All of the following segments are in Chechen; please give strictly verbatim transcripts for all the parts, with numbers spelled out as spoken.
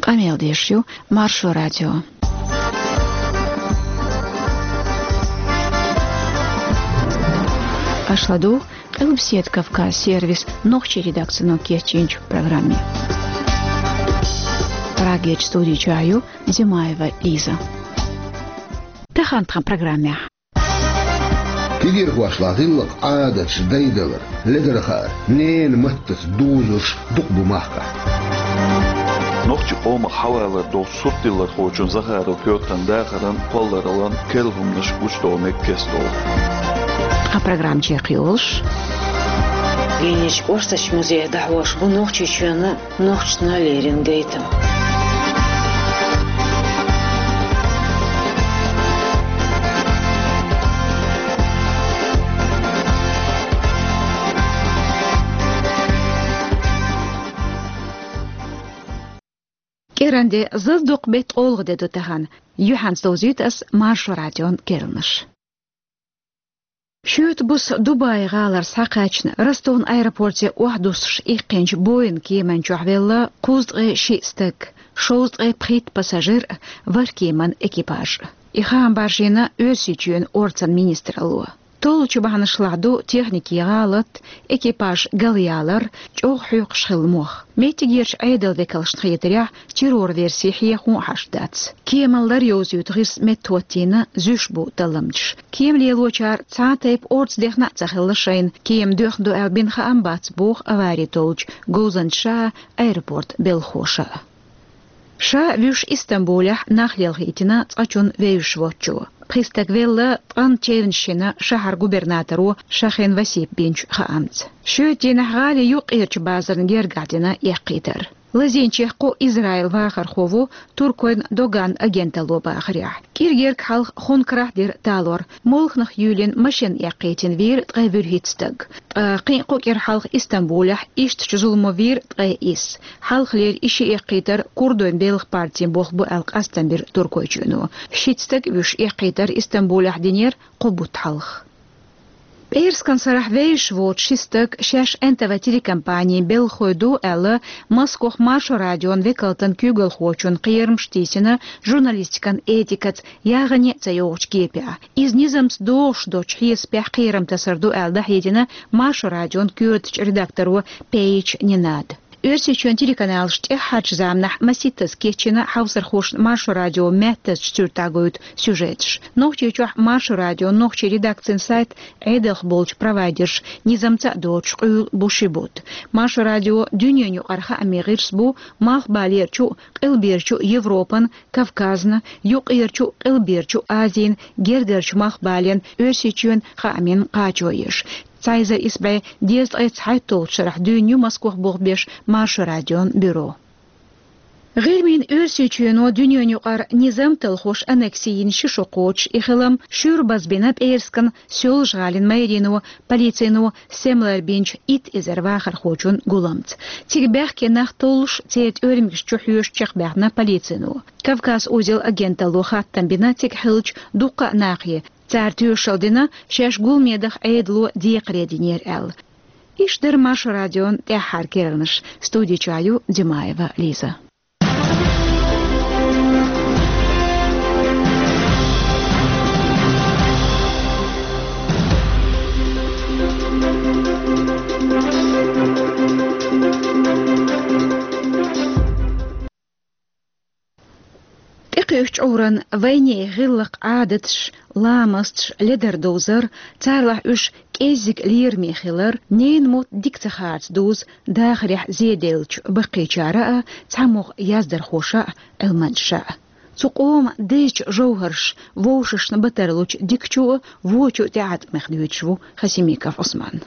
Къамел деш ю Маршо радио. Аша ладугӀу Къилбаседа Кавказ сервисан нохчийн редакцино кечйинчу программе. Прагерчу студи чохь ю Димаева Лиза. Тахана тхан программехь. Кегийрхошна гӀиллакх-Ӏадаташ дайдалар, ледар хаар, ненан маттаца дузурш дукха бу махкахь. Нохчийн къомах хьавалар долчу суртдиллархочун Захаров Пётран дахаран, кхоллараллан керла хӀуманаш гучудогӀу мега кеста долу. Тхан программа чекхйолуш: Венечу кӀоштачу музее дӀахьош бу Нохчийчоьнан нохчашна леррина гайтам. КӀиранде, зазадоккху беттан олха де ду тахана. Юьхьанца довзуьйту ас Маршо радион керланаш. Шоьтан буса Дубай гӀалара схьакхаьчна, Ростован аэропорте охьадуссуш иккхинчу Боинг кеман чохь велла кхузткъе шиъ стаг, шовзткъе пхийтта пассажир а, ворхӀ кеман экипаж а. И хаам баржийна Оьрсийчоьнан орцан министралло. Толлучу бахьанашлахь ду техникин гӀалат, экипаж галъялар, чӀогӀа хьоькхуш хилла мох. Меттигерчу Ӏедалан векалшна хетарехь, террор верси хьехо а хьашт дац. Кеман лар йовзуьйту гӀирс меттахӀоттийна, зуьйш бу талламчаш. Кема лелочара цхьа а тайпа орца дехна а ца хилла шайна, кема доьхна ду аьлла бина хаам бац, боху авари толлучу говзанчаша а, аэропортан белхахоша а. Ша вуьйш Истамбулехь нах лелхийтина цкъачунна вевзаш воцчо. Пхи стаг велла, ткъанна чевнаш йина шахьаран губернаторо Шахин Васипа бинчу хаамца. Шоьтан дийнахь гӀалин юккъерчу базарна гергахь дина эккхийтар. Лазийначех кху Израилан вахархо ву, Туркойн Догаан агенталло бахарехь. КӀира герга хьалха хункарахь дира талор. Молханах юьйлина машина эккхийтина вийра ткъе вуьрхӀитта стаг. Ткъа кхин а кху кӀира хьалха Истамбулехь ишттачу зуламо вийра ткъе исс. Хьалхалера и ши эккхийтар курдойн белхан партин болх бу аьлла къастам бира Туркойчоьно. Шийтта стаг а вуьйш эккхийтар Истамбулехь динера кхо бутт хьалха. ПӀераскан сарахь вевзаш воцу ши стаг шаьш Н Т В телекомпанин белхахой ду аьлла, Москвахь Маршо радион векалтан куьйгалхочун кхерамаш тийсина журналистикан этикаца яххьане а ца йогӀучу кепехь. Иза низамца догӀуш доцчу хьесапехь кхерам тасар ду аьлла дӀахьедина Маршо радион коьртачу редакторо Пеич Нинада. Оьрсийчоьнан телеканалаш тӀаьххьарчу заманахь масийттаза кечйина хьовсархошна Маршо радион маьттазчу суьртехь гойту сюжеташ. Нохчийчохь Маршо радион нохчийн редакцин сайт Ӏедалх болчу провайдерша низамца а доцуш къуьйла бу ши бутт. Маршо радио дуьненаюкъара хаамийн гӀирс бу Малхбалерчу а, Къилберчу а Европан, Кавказна, Юккъерчу а, Къилберчу а Азин, Гергарчу Малхбален, Оьрсийчоьнан хаамийн кхачо еш. Цхьа эзар исс бӀе дезткъе цхьайтталгӀачу шарахь дуьйна ю Москвахь болх беш Маршо радион бюро. ГӀирмийн Оьрсийчоьно дуьненаюкъара низам талхош аннекси йина ши шо кхочуш и хилам шуьйра базбина ПӀераскан Соьлжа-ГӀалин мэрино, полицино семлар бинчу итт эзар вахархочун гуламца. Цига баьхке нах толлуш, церан тӀоьрмигаш чу хьоьжуш чекхбаьхна полицино. Кавказ узел агенталло хаттам бина цига хиллачу дуккха а нахе, цара тоьшалла дина, шаьш гуламе даха Ӏедало декхаре динера аьлла. Иштта дара Маршо радион тӀаьххьара керланаш. Студи чохь ю Димаева Лиза. ТӀекхуьучу чкъуран вайнехан гӀиллакх-Ӏадаташ, ламасташ, ледар довзар, царалахь уьш кӀеззиг лераме хилар, ненан мотт дика ца харца дузу дахарехь зеделлачу баккхийчара а, цхьамогӀа яздархоша а, Ӏилманчаша а. Цу къоман дезачу жовхӀарша вовшашна бан тарлучу дикачу а, вочу а тӀеӀаткъамех дуьйцуш ву Хасимиков Ӏусман.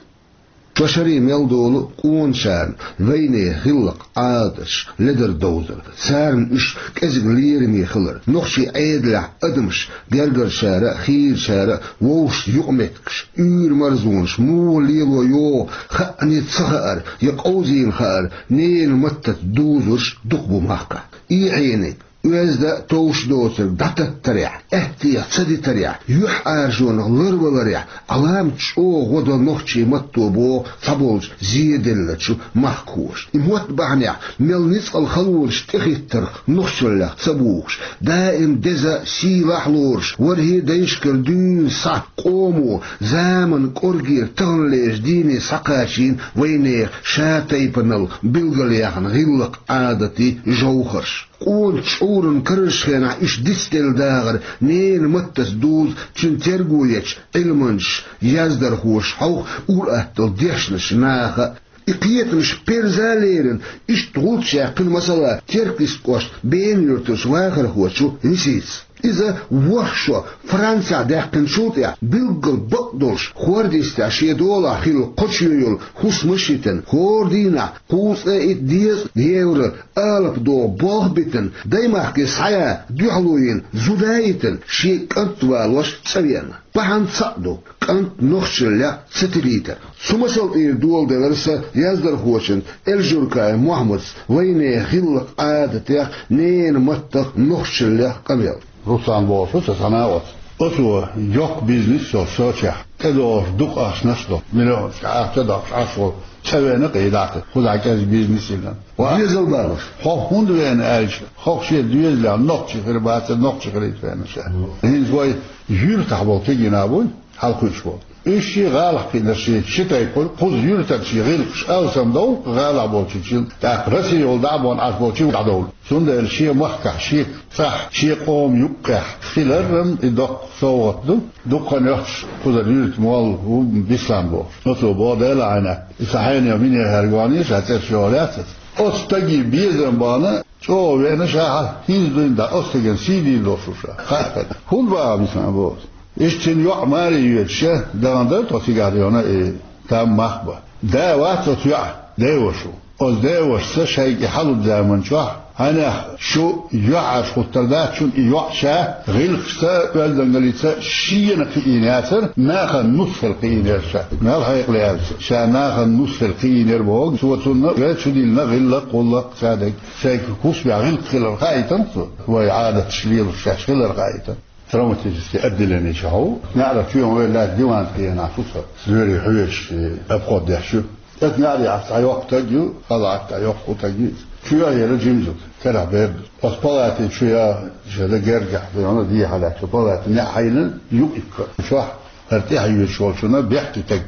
Шо шаре мел долу къоначарна вайнехан гӀиллакх-Ӏадаташ, ледар довзар, царна уьш кӀезиг лераме хилар, нохчийн Ӏедалехь адамаш, гергарчара а, хийрачара а вовшашца юкъаметтигаш, уьйр-марзонаш муха лело йогӀу хаьа ца хаар я къовзийна хаар, ненан маттаца дузурш дукха бу махкахь. И хьениг Оьзда а товш доцург дӀататтарехь, аьттех ца дитарехь, юьхьӀаьржонах ларваларехь, Ӏаламат чӀогӀа гӀо до нохчийн матто боху цхьаболчу зеделлачу махкахоша. И мотт бахьанехь мел ницкъала халонаш тӀехӀиттарх нохчаллех ца бухуш, даим деза а, сийлахь а лоруш, ворхӀе дайшкара дуьйна схьа къомо, заманан кӀоргера таханлерчу дийне схьакхачийна вайнехан ша-тайпанал билгалъяьхна гӀиллакх-Ӏадатийн жовхӀарш. Къона чӀуран карарчу хенахь иштта дицделла дахар ненан маттаца дузу цуьнан терго ечу Ӏилманчаша, яздархоша, хьовха, ур-атталла дешначу наха а. И кхетамаш перза а лерина, иштта гӀулч яьккхина, масала, Теркйист кӀоштан Бена-Юьртарчу вахархочо Лисица. Иза ворхӀ шо Францехь даьккхинчул тӀаьхьа билггал бакъдолуш хӀорда йистехь шен долахь хилла кхо чоь йолу хӀусамаш йитина, хӀора дийнахь кхузткъе итт дезткъа евро алапа догӀу болх битина, даймахке схьаяха дуьхьало йина зуда а йитина, шен кӀант валош цӀа веана. Бахьана цхьаъ ду: кӀант нохчаллех ца тилийтар. Цу масал тӀера доладелира сан яздархочуьнца Эльжуркаев Мохьмадца вайнехан гӀиллакх-Ӏадатех, ненан маттах, нохчаллех къамел. Руслан бохуш ву сан схьана оцу. Оцо йоккха бизнес йолуш Сочехь, тӀедогӀуш дукха ахчанаш а долуш, миллионашка ахча а доккхуш Ӏаш волу, цӀа веана кхин дӀа а, кхузахь кӀезиг бизнес йина. Ва, дезал балош. Хьо хӀунда веана аьлча, хӀокху шен доьзалехь нохчи хир бацара, нохчи хилийта веана ша. ХӀинца вай юьртахь болу кегий нах буй, хьалакхуьуш болу. Уьш шен гӀалахь кхиънарш, шен ши тайпа хуьлу, кхуза юьртарчийн гӀиллакхаш алсамдовлу гӀалахь болчуьнчийн, тӀаккха Россия йолу дӀа а бовна Ӏаш болчийн дӀадовлу. Цундела шен махкахь, шен цӀахь, шен къоман юккъехь хилар-м и доккха совгӀат ду, дукха нохчаш кхузара юьртан молла ву Бислан бохуш. Оцо боху, Делан Ӏайнах, и сан хьенех-минех хӀара гонийша, цӀераш йогӀу лаьцна. Оцу стаге безам бахана, чӀогӀа веана ша, хьан хӀинца дуьйна дӀа оцу стеган сий дийр долуш ву ша. Хаьа хьуна. ХӀунда баха Бислан боху? Иштта цуьнан йоӀ маре йоьдуш, дахана дара тхо цигахь дуьйна и там мах бан. Да вац оцу йоӀан, деваша ву. Оцу девашаца шайга и хьалуьйту заман чохь, хьанех шу юьхьӀаьржа хӀуттур дац, шуна и йоӀ ша гӀиллакхашца, оьздангаллица шена кхиийна яцара, нахана нус хила кхиийнера ша. Мел хьекъале аьлча, ша нахана нус хила кхиийнера боху, цо цунна вай чу диллина гӀиллакх-гӀуллакх, цадерг, шайга хӀусамехь гӀиллакх хилар хаийтина цо, вай Ӏадаташ лелош шаьш хилар хаийтина. Травматический отделени чохь ву. НеӀарах чоьхьа вай лаьцна диван тӀе кхиъна ву со. Лоьрийн хьоьжуш, обход деш ю. Эцу неӀарехь цхьа йоккха стаг ю, хала Ӏатта йоккха стаг ю. Чоьхьа яра жима зуда, карахь бер ду. Оцу палати чу я, шеда гергахь, вайна дехьа лаьцна палати неӀ хьайна юкъ иккха. Чохь хӀара тӀехь йоьдуш волчунна бехке стаг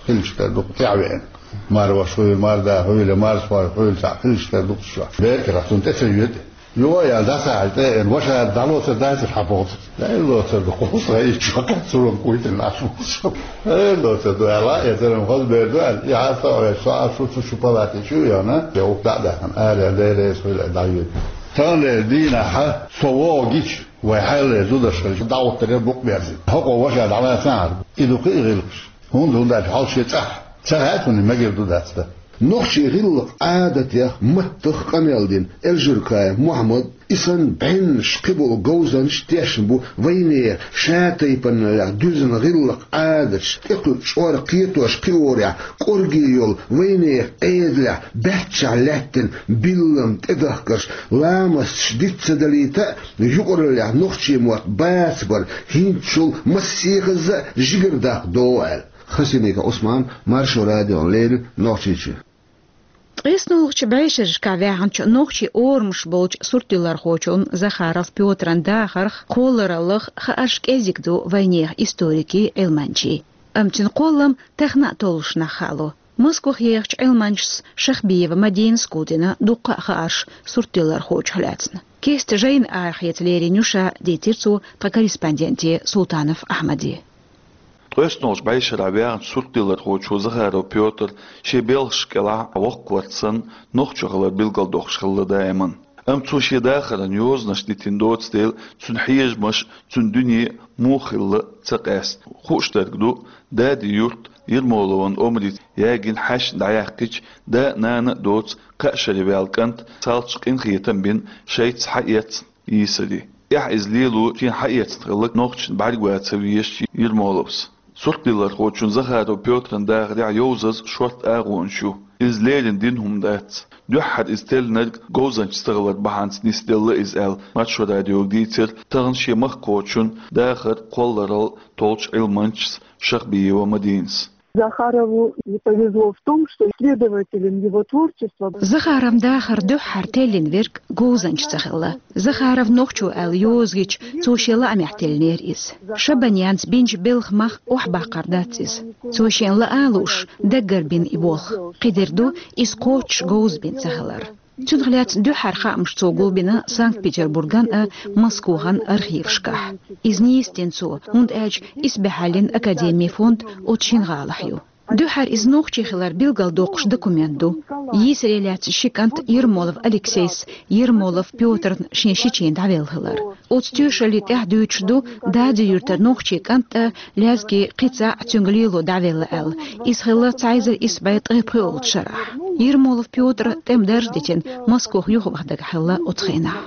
хилча тера ду-кх тӀехь веана. Марваш хуьйла, марда хуьйла, марсхой хуьйла, цхьаъ хилча тера ду-кх чохь. Бер карахь цунна тӀе ца йоьду. Юха ял дӀасахьаьжча, тӀе а веана, ваша дӀалоцур дацара хьан боху. Дай лоцур ду, кхузахь иччо кхаьчча, цуьнан кхуьйтина Ӏаш ву со. Эй, лоцур ду аьлла, я церан хаза бер ду аьлла, и хьан со веш, со Ӏаш ву, цу шу палати чу а яхана, я ух дӀа а даьхна, ара, деррес хуьлу дӀайоьду. Таханлера дийнахь со вогӀу гича, вай хьаллера зудаш хилча, дӀагӀуттар яра букъ берзина. ХӀокхо ваша дӀалацахьара. И ду кхин а гӀиллакхаш. ХӀунда, хӀунда аьлча хьал шен цӀахь ца хаьа цунна, мегар ду дац дан. Нохчийн гӀиллакх-Ӏадатех, маттах къамел дина Эльжуркаев Мохьмад, и санна бӀеннаш кхиболу говзанчаш тешна бу вайнехан ша-тайпаналлех дуьзна гӀиллакх-Ӏадаташ тӀекхуьу чкъор кхетош кхиорехь кӀорге йолу вайнехан Ӏедалехь баьччахь лаьттина биллам тӀедахкарш, ламасташ диц ца далийта а, юкъараллехь нохчийн мотт бацабар хӀинцачул массехазза а жигара даккха догӀу аьлла. Хасимиков Ӏусман, Маршо радиона леррина, Нохчийчоь. ТкъеснолгӀачу бӀешерашкахь ваьхначу нохчийн орамаш болчу суртдиллархочун Захаров Пётран дахарх, кхоллараллах хаарш кӀезиг ду вайнехан историкийн, Ӏилманчийн. Амма цуьнан кхоллам тахана а толлушехь хаало. Москвахь ехачу Ӏилманчас Шахбиева Мадинас гулдина дуккха а хаарш суртдиллархочух лаьцна. Кеста жайна арахеца лерина ю ша, дийцира цо тхан корреспонденте Султанов Ахьмаде. ТкъеснолгӀачу бӀешарахь ваьхначу суртдиллархочо Захаров Пётр шен белхаш кӀелахь воккхаварца санна, нохчо хилар билгалдоккхуш хилла даиман. Амма цо шен дахаран йозанаш дитина доцу дела, цуьнан хьежамаш, цуьнан дуьне муха хилла ца къаьста. Хууш дерг ду, Дади-Юрт Ермоловн омрица ягийна хьаьшна дӀаяьккхича, да а, нана а доцу кхаа шаре ваьлла кӀант цхьалча къинхетам бина шайца схьаэцна йийсаре. Эхь иза лело шена схьаэцна хилла нохчашна бӀаьрго ца везаш Ермоловс. Суртдиллархочун Захаров Пётран дахарехь йовзаза шортта агӀонаш ю. Иза леррина дина хӀума дац. Дуьххьара иза теллинарг говзанча ца хилар бахьанца нисделла иза аьлла, Маршо радиога дийцира тахан шен махкахочун дахар кхолларал толчу Ӏилманчас Шахбиева Мадинас. Захарову не повезло в том, что исследователем его творчества... Захаровн дахар дуьххьара теллина верг говзанча ца хилла. Захаров нохчо аьлла йоза гича, цо шен лаамехь теллинера иза. Шабанянца бинчу белхан мах охьабаккхар дац иза. Цо шена лаа а лууш, даггара бина и болх. Кхидерг ду, иза кхоччуш говза бина ца хилар. Цунах лаьцна дуьххьара хаамаш цо гулбина Санкт-Петербурган а, Москвахьан архивашкахь. Иза нийса дина цо, хӀунда аьлча исбаьхьаллин академин фонд оцу шина гӀалахь ю. Дуьххьара иза нохчи хилар билгалдоккхуш документ ду. Йийсаре лаьцна ши кӀант Ермолов Алексейс, Ермолов Пётрна шен шичийн дӀавелла хилар. Оцу тоьшаллин тӀехь дуьйцуш ду, Дади-Юьртара нохчи кӀант а, лезги кхин цхьаъ цуьнга лело дӀавелла аьлла. Иза хилла цхьа эзар исс бӀе ткъе пхоьалгӀачу шарахь. Ермолов Пётра тӀеман дарж дитина, Москох юхаваха дагахь хилла оцу хенахь.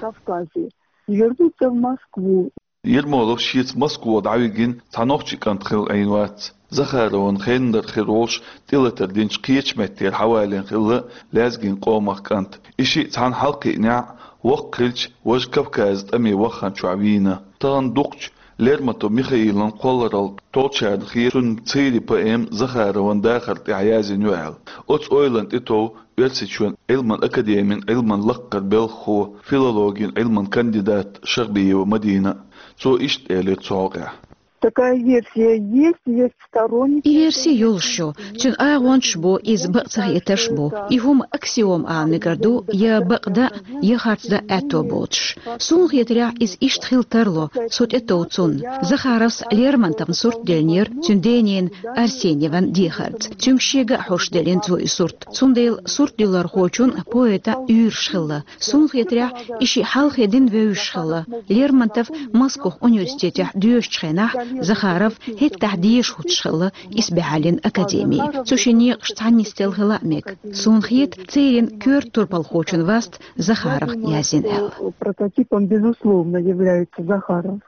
Вернуться в Москву. Ермолов шеца Москва дӀавигина цхьа нохчи кӀант хилла Ӏийна вац. Захаровн хеннара хир волуш тӀелатар динчу кхечу меттера хьавалийна хилла лезгин къомах кӀант. И шиъ цхьаьна хьалакхиънехь, воккха хилча, важа Кавказан тӀаме ваххана чохь вийна. Тахана дукхачу Лермонтов Михаилан кхолларал толчарна хета цуьнан церан поэма Захаровн дахар тӀехь язйина ю аьлла. Оцу ойланна тӀетов Оьрсийчоьнан Ӏилман академин Ӏилман лаккхара белхахо, филологин Ӏилман кандидат Шахбиева Мадина. Цо иштта элира цу хьокъехь. Такая версия есть, есть сторонники. И верси йолуш ю, цуьнан агӀончаш бу, иза бакъ ца хетарш бу. И хӀума аксиома ала мегар ду, я бакъ дан, я харц дан аьтто боцуш. Суна хетарехь, иза иштта хила тарло, со тӀетов цунна. Захаровс Лермонтовн сурт деллинера цуьнан дененан Арсеньеван дехарца. Цуьнга шега а хьош деллина цо и сурт. Цундела суртдиллархочун, поэтан уьйраш хилла. Суна хетарехь, и шиъ хьалхе дина вевзаш хилла. Лермонтов Москох университетехь доьшучу хенахь, Захаров хӀеттахь деша хӀуттуш хилла исбаьхьаллин академи. Цу шин некъаш цхьаьна нисделла хила а мега. Суна хета, церан коьрта турпалхочун васт Захаров язйина аьлла. Прототипом, безусловно, является Захаров.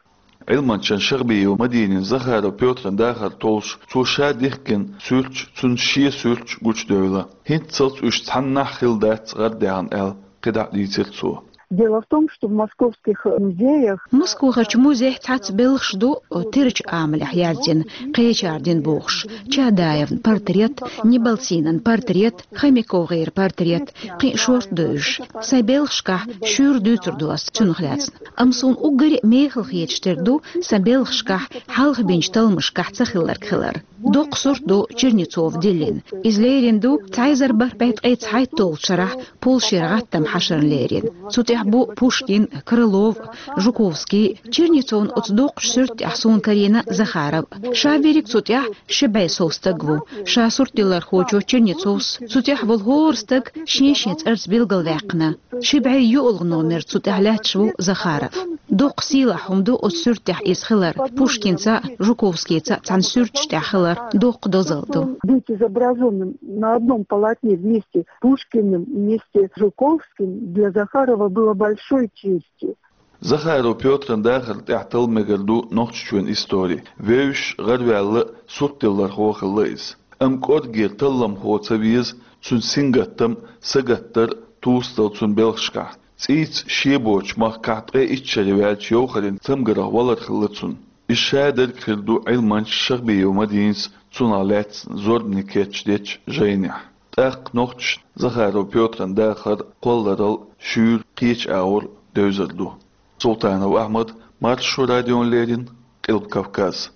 Ӏилманчан Шахбиева Мадинин Захаров Пётран дахар толлуш, цо ша дихкина суьрташ, цуьнан шен суьрташ гучудевлла. ХӀинццалц уьш цхьаннахь хилла дац гӀардаьхна аьлла, кхидӀа а дийцира цо. Дело в том, что в московских музеях... Москвахарчу музейхь цхьацца белхаш ду, тирачу амалехь яздина, кхечара дина бохуш, Чадаевн портрет, Неболсинан портрет, ХомяковгӀеран портрет, кхин а шорта девзаш. Сайн белхашкахь шуьйра дуьйцур ду ас цунах лаьцна. Амма суна уггаре а мехала хеташ тера ду сан белхашкахь, хьалха бинчу талламашкахь ца хилларг хилар. Доккха сурт ду Чернецов диллина. Иза лерина ду цхьа эзар бархӀ бӀе ткъе цхьайтталгӀачу шарахь, полшера гӀаттам хьашарна лерина. Цу тӀехь бу Пушкин, Крылов, Жуковский. Чернецовн оцу доккхачу суьрта тӀехь суна карийна Захаров. Ша верриг цу тӀехь ши бӀе сов стаг ву. Ша суртдиллархочо Чернецовс цу тӀехь волу хӀора стаг шен-шен цӀарца билгалваьккхина. Ши бӀе йоьалгӀа номер цу тӀехь лаьтташ ву Захаров. Доккха сийлахь хӀума ду оцу суьрта тӀехь иза хилар, Пушкинца а, Жуковскийца а цхьана суьрташ тӀехь хилар доккха дозалла ду. Быть изображённым на одном полотне вместе с Пушкиным и вместе с Жуковским для Захарова было большой честью. Захаров Пётран дахар тӀехь талла мегар ду Нохчийчоьнан истори. Вевзаш, гӀараваьлла, суртдиллархо хилла иза. Амма кӀоргера талламхо ца веза, цуьнан сингаттам, сагаттар тосадала цуьнан белхашкахь. ЦӀийца шен боцучу махкахь ткъе итт шаре ваьлча йовхаран цамгарх валар хилла цуьнан. Иза шадерг хир ду Ӏилманча Шахбиева Мадинас цунах лаьцна зорбане кечдечу жайнехь. ТӀаккха нохчашна Захаров Пётран дахар кхолларал шуьйра кхечу агӀор девзар ду. Султанов Ахьмад, Маршо радиона леррина, Къилба Кавказ.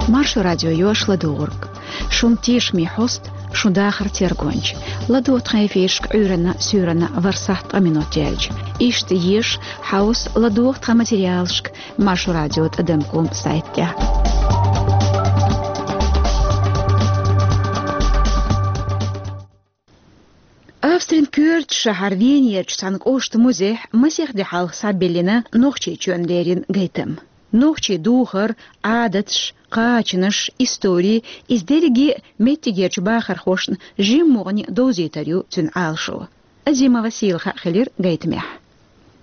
Маршо радио ю аш ладугӀург. Шун тешаме хьоста, шун дахар тергонча. ЛадогӀа тхан эфирашка Ӏуьйранна, суьйранна ворхӀ сахьт ткъа минот яьлча. Иштта еша, хьовса, ладогӀа тхан материалашка Маршо радио тӀадам ком сайт тӀехь. Австрин коьртачу шахьар Венерчу цхьана кӀоштан музейхь масех де хьалха схьабиллина Нохчийчоьнна леррина гайтам. Нохчийн духар, Ӏадаташ, кхачанаш, истори, иза дерриге а меттигерчу бахархошна жимма гӀоьнна довзийтар ю цуьнан Ӏалашо. Азимова Сийлаха хилира гайтамехь.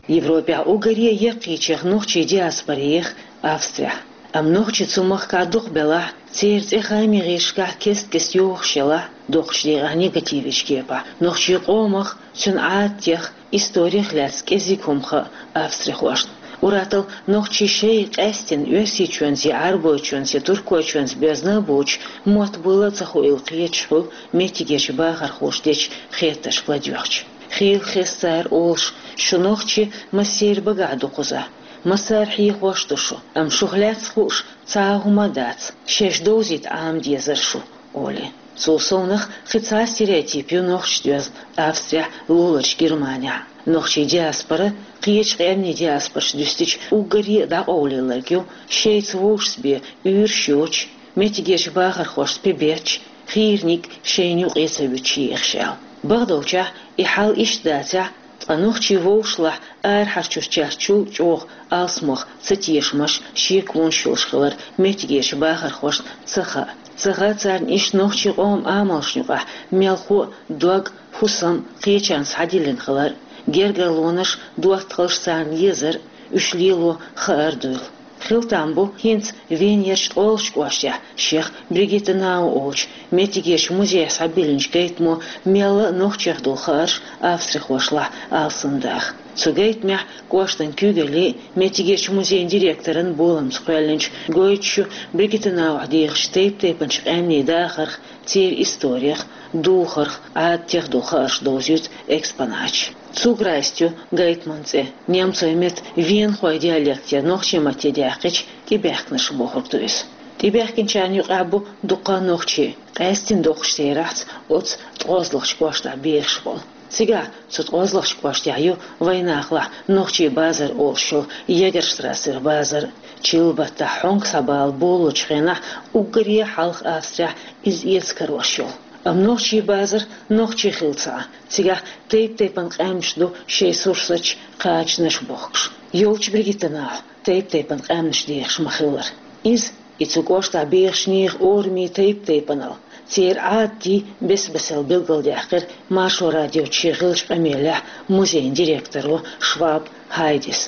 Европехь уггаре а яккхийчех нохчийн диаспорех Австрехь. Амма нохчий цу махкахь дукха белахь, церан цӀе хаамийн гӀирсашкахь кест-кеста йохуш елахь, доккхачу декъехь негативечу кепахь, нохчийн къомах, цуьнан Ӏадатех, исторех лаьцна кӀезиг хӀума хаьа австрихошна. Ур-атталла нохчий шайн къаьсттина Оьрсийчоьнца я Ӏарбойчоьнца я Туркойчоьнца боьзна а боцуш, мотт буйла а ца хуийла кхеташ хуьлу меттигерчу бахархоша дечу хеттаршка ладоьгӀча. Хийла хеза цара олуш: «Шу нохчий массеран багахь ду кхузахь. Массара хьехош а ду шу, амма шух лаьцна хууш цхьа а хӀума а дац, шаьш довзийта Ӏама дезара шу», — олий. Цул совнаха кхин цхьа а стереотип ю нохчашна доьзна Австрехь, луларчу Германехь. Нохчийн диаспора, кхечу къаьмнийн диаспораш дуьстича, уггаре а дӀакъовлаяларг ю шайца вовшашца бен уьйраш йоцуш, меттигерчу бахархошца пе бетташ, хийраниг шайна юкъе ца вуьтуш ехаш аьлла. Бакъдолчехь, и хьал иштта дацахь, ткъа нохчий вовшашлахь арахьарчу чарчул чӀогӀа алсамох цатешамаш, шеконаш йолуш хилар меттигерчу бахархошна ца хаьа. Ца хаьа царна иштта нохчийн къоман амалшна юкъахь мелхо а, дог а, хӀусам а кхечарна схьадиллина хилар, гергарлонаш, доттагӀалш царна езар а, уьш лело хаар а дуйла. Хила там бу хӀинца Венерчу ткъолгӀачу кӀоштехь шех Бригитта Нау олучу меттигерчу музейхь схьабиллинчу гайтамо мелла а нохчех долу хаарш австрихошлахь алсамдаха. Цу гайтамехь кӀоштан куьйгаллин а, меттигерчу музейн директоран боламца кхоьллинчу гойтуш ю Бригитта Наухь дехачу тайп-тайпанчу къаьмнийн дахарх, церан исторех, духарх, Ӏадатех долу хаарш довзуьйту экспонаташ. Цугара йист ю гайтаман цӀе. Немцойн меттан венахойн диалектера нохчийн матте даьккхича, тӀебаьхкинарш бохург ду иза. ТӀебаьхкинчарна юкъахь бу дуккха а нохчий, къаьсттина доккхачу терахьца оцу ткъозлагӀчу кӀоштахь бехаш болу. Цигахь, цу ткъозлагӀчу кӀоштехь, ю вайнахалахь нохчийн базар олуш йолу Егерштрассера базар. Чиллан баттахь хьонка схьабала болалучу хенахь уггаре а хьалха Австрехь иза эца карош йолу. Амма нохчийн базар нохчийн хилла ца Ӏа, цигахь тайп-тайпана къаьмнаш ду шайн сурсаташ, кхачанаш бохкуш. Йолчу Бригитта Наухь тайп-тайпана къаьмнаш дехаш ма-хиллара. Иза, и цу кӀоштахь бехаш нехан орамийн тайп-тайпанал, церан Ӏадатий бес-бесел билгалдаьккхира Маршо радиоца шен хиллачу къамелехь музейн директоро Шваб Хайдис.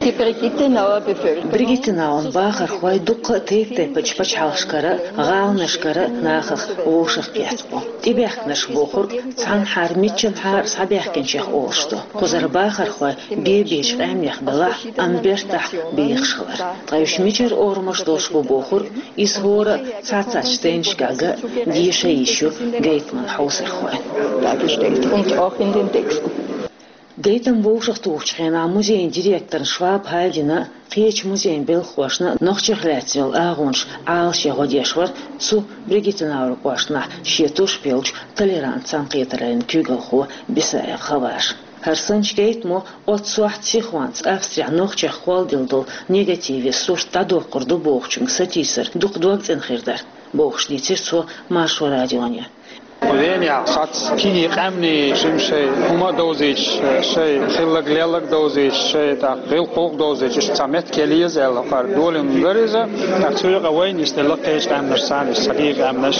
Die Brigitte Nauer Bevölkerung. Бригитта Наун бахархой дуккха а тайп-тайпанчу пачхьалкхашкара а, гӀаланашкара а нахах вовшахкхетта бу. ТӀебаьхкинарш бохург цхьанхьара миччанхьара схьабаьхкинчех олуш ду. Кхузара бахархой бен-бечу къаьмнех белахь, амма бертахь бехаш хилар. Ткъа уьш мичара орамаш долуш бу бохург, иза хӀора а цхьацца стендашкахь ган а, деша а йиш ю гайтаман хьовсархойн. Dargestellt und auch in den Texten. Гайтам вовшахтухучу хенахь музейн директорна Шваб Хайдина а, кхечу музейн белхахошна а нохчех лаьцна йолу агӀонаш Ӏалашъян гӀо деш вара цу Бригитта Наур кӀоштахь шен тушпелчу «Толерант» цхьаьнакхетараллин куьйгалхо Бисаев Хаваж. ХӀара санначу гайтамо оццу сохьта сихонца Австрехь нохчех холделла долу негативе сурт дӀадоккхур ду бохучуьнга сатийсар дукха догцӀена хир дара, бохуш дийцира цо Маршо радионе. Венехь схьацца кегий къаьмнийн жима шайн хӀума а довзуьйтуш, шайн хилларг-лелларг а довзуьйтуш, шайн тӀаккха гӀиллакх-гӀуллакх а довзуьйтуш, иштта цхьа меттиг яла еза аьлла, хӀара долийна дара иза. ТӀаккха цу юкъа вайна иштта делла кхечу къаьмнашца, иштта цхьа дийна къаьмнаш,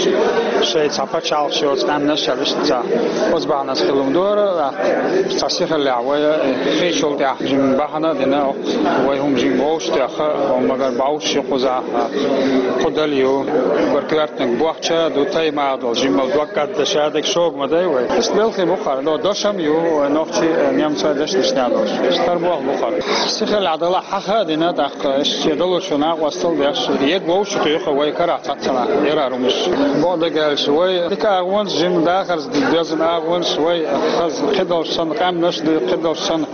шайн цхьа пачхьалкхаш йоцу къаьмнаш а иштта цхьа. Оцу бахьанаш хилла дара, тӀаккха цхьа сихаллехь вай, кхечул тӀаьхьа жима бахьана а дина, вай хӀума жима вовшахтоьхна, магар бӀовш ю кхузахь, кху дала ю, уггар коьртаниг бохча а ду, тайпа а долу, жимма дог кӀаддаша дерг шога ма дай вай. Иштта белхий бу хӀара, но дошам ю, вай нохчий, э, немцойн дешнашна долуш. Иштта хӀара болх бу хӀара. Сихаллехь далахь хьаха а дина, тӀаккха иштта шен далучу накъостал деш, ег вовшахтоьхна вай карахь цхьацца нах, ярар хӀумаш. Бакъдерг аьлча, вай дика агӀонаш, жима дахарца доьзна агӀонаш, вай хаза кхидолуш санна къаьмнаш а ду, кхидолуш санна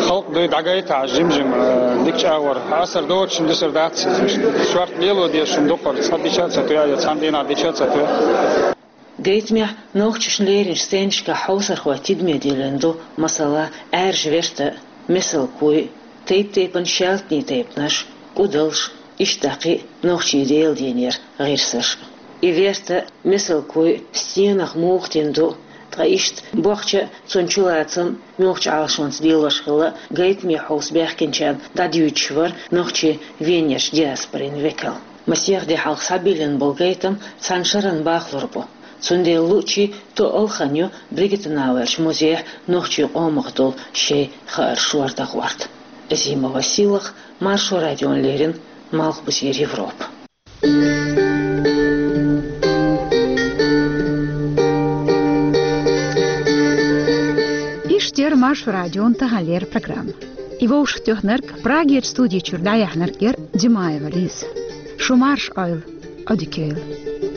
халкъ а ду, дӀагайтахь жим-жима, э, дикачу агӀор. Асар доцуш-м дисар дац иза. Шорта лело дезаш-м ду хӀара, цхьа дича а ца тоьа, я цхьана дийнахь дича а ца тоьа. Гайтамехь нохчашна леринчу стендашкахь хьовсархойн тидаме диллина ду, масала, Ӏаьржа верта а, месалкхуй а, тайп-тайпана шаьлтанийн тайпанаш а, кӀудалш а, иштта кхин а нохчийн Делан денера гӀирсаш а. И верта а, месалкхуй а стенах муха дина ду, ткъа иштта бохча а, цунна чулацам а муьлхачу Ӏалашонца лелош хилла гайтаме хьовса баьхкинчарна дӀадуьйцуш вара нохчийн Венерчу диаспорин векал. Масех де хьалха схьабиллина болу гайтам цхьана шарна бахлур бу. Цундела луъчий тоъал хан ю Бригитта Науэрчу музейхь нохчийн къомах долу шайн хаар шордахорта. Азимова Сийлаха, Маршо радиона леррина, Малхбузера Европа. Иштта яр Маршо радион таханлера программа. И вовшахтоьхнарг, Прагерчу студи чуьра дӀаяьхьнарг яр Димаева Лиза. Шу марша Ӏойла, Ӏодика йойла.